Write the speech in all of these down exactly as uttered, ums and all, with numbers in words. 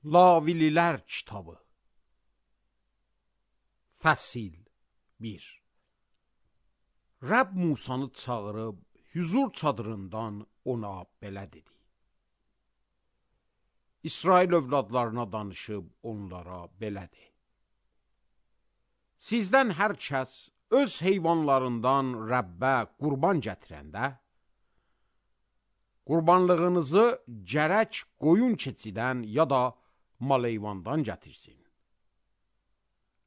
Lavililər kitabı Fəsil bir. Rəbb Musanı çağırıb hüzur çadırından ona belə dedi. İsrail övladlarına danışıb onlara belə de. Sizdən hər kəs öz heyvanlarından Rəbbə qurban gətirəndə, qurbanlığınızı gərək qoyun keçidən ya da mal heyvandan gətirsin.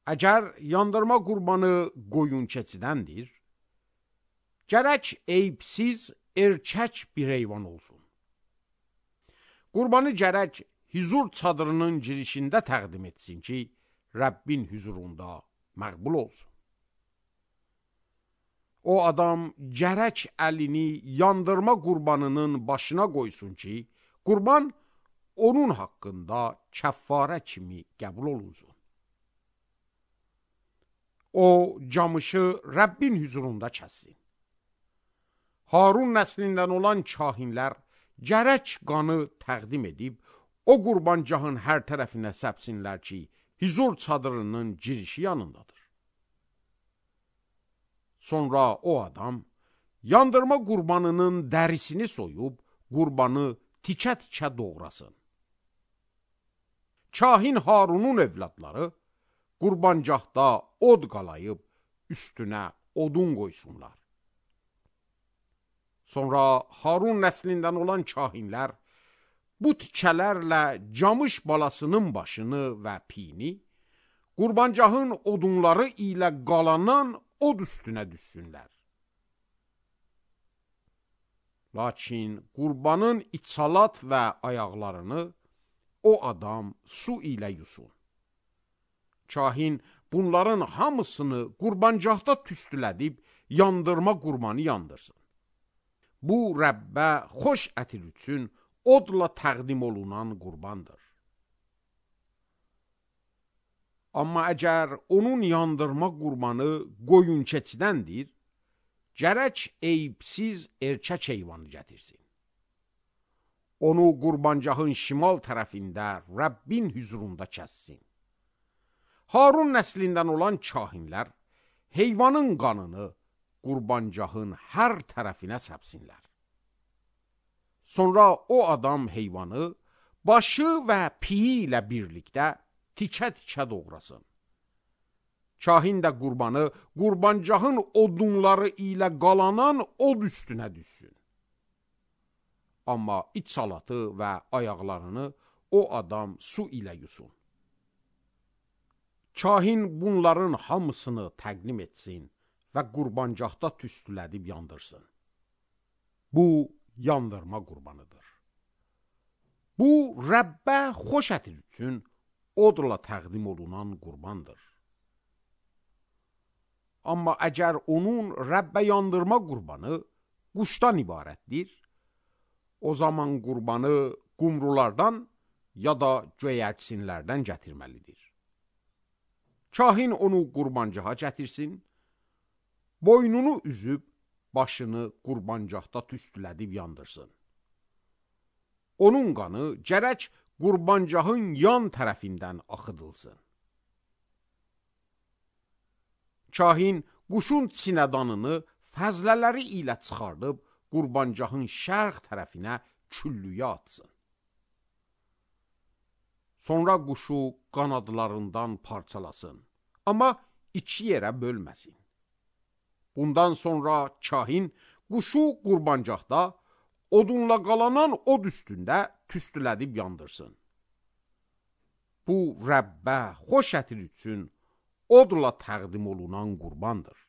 Əgər yandırma qurbanı qoyun keçidəndir, gərək eyibsiz erkək bir heyvan olsun. Qurbanı gərək hüzur çadırının girişində təqdim etsin ki, Rəbbin hüzurunda məqbul olsun. O adam gərək əlini yandırma qurbanının başına qoysun ki, qurban onun haqqında kəffarə kimi qəbul olunsun. O camışı Rəbbin hüzurunda kəssin. Harun nəslindən olan kahinlər gərək qanı təqdim edib, o qurbancahın hər tərəfinə səpsinlər ki, hüzur çadırının girişi yanındadır. Sonra o adam yandırma qurbanının dərisini soyub, qurbanı tikə-tikə doğrasın. Kahin Harunun evladları qurbancahda od qalayıb, üstünə odun qoysunlar. Sonra Harun nəslindən olan kahinlər bu tikələrlə camış balasının başını və piyini, qurbancahın odunları ilə qalanan od üstünə düşsünlər. Lakin qurbanın içalat və ayaqlarını o adam su ilə yusun. Kahin bunların hamısını qurbancahda tüstülədib, yandırma qurbanı yandırsın. Bu, Rəbbə xoş ətir üçün odla təqdim olunan qurbandır. Amma əgər onun yandırma qurbanı qoyun keçidəndir, gərək eyibsiz erkək heyvanı gətirsin. Onu qurbancahın şimal tərəfində Rəbbin hüzurunda kəssin. Harun nəslindən olan kahinlər heyvanın qanını qurbancahın hər tərəfinə səpsinlər. Sonra o adam heyvanı başı və piyi ilə birlikdə tikə-tikə doğrasın. Kahin də qurbanı qurbancahın odunları ilə qalanan od üstünə düşsün. Amma iç salatı və ayaqlarını o adam su ilə yusun. Kahin bunların hamısını təqdim etsin və qurbancahda tüstülədib yandırsın. Bu, yandırma qurbanıdır. Bu, Rəbbə xoş ətir üçün odla təqdim olunan qurbandır. Amma əgər onun Rəbbə yandırma qurbanı quşdan ibarətdir, o zaman qurbanı qumrulardan ya da göyərçinlərdən gətirməlidir. Kahin onu qurbancaha gətirsin, boynunu üzüb, başını qurbancahda tüstülədib yandırsın. Onun qanı gərək qurbancahın yan tərəfindən axıdılsın. Kahin quşun sinədanını fəzlələri ilə çıxardıb, qurbancahın şərq tərəfinə küllüyə atsın. Sonra quşu qanadlarından parçalasın, amma iki yerə bölməsin. Bundan sonra kahin quşu qurbancahda odunla qalanan od üstündə tüstülədib yandırsın. Bu, Rəbbə xoş ətir üçün odla təqdim olunan qurbandır.